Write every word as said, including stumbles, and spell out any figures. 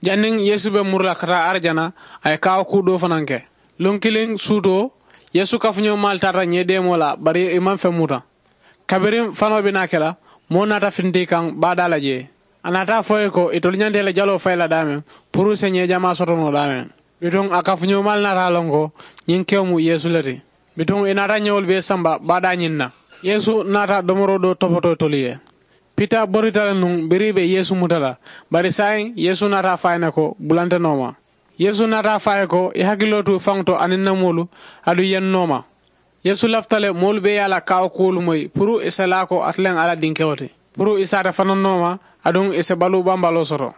Janniŋ yeesu be muru la ka taa arijana, a ye kaawo kuu doo fanaŋ ke. Luŋ kiliŋ suutoo, yeesu kafuñoo maalu taata ñee deemoo la, bari i maŋ feŋ muta. Kabiriŋ fanoo be naa ke la, moo naata fintii kaŋ baadaa la jee. A naata a fo i ye ko itolu ñanta i la jaloo fayi la daameŋ, puru i si ñee jamaa soto noo daameŋ. Bituŋ a kafuñoo maalu naata a loŋ ko ñiŋ kewo mu yeesu le ti. Bituŋ i naata ñewolu bee samba baadaa ñiŋ na. Yeesu naata domoroo doo topotoo itolu ye. Pita borita le nuŋ biriŋ i be yeesu muta la. Bari saayiŋ yeesu naata a fo a ye ne ko bula nte nooma. Yeesu naata a fo a ye ko i hakiloo tu faŋo to aniŋ n na moolu, aduŋ i ye n nooma. Yeesu lafita le moolu bee ye a la kaawo kuwolu moyi puru i si a laa ko ate le mu alla dinkewo ti, puru i si ate fanaŋ nooma, aduŋ i si baluu bambaloo soto.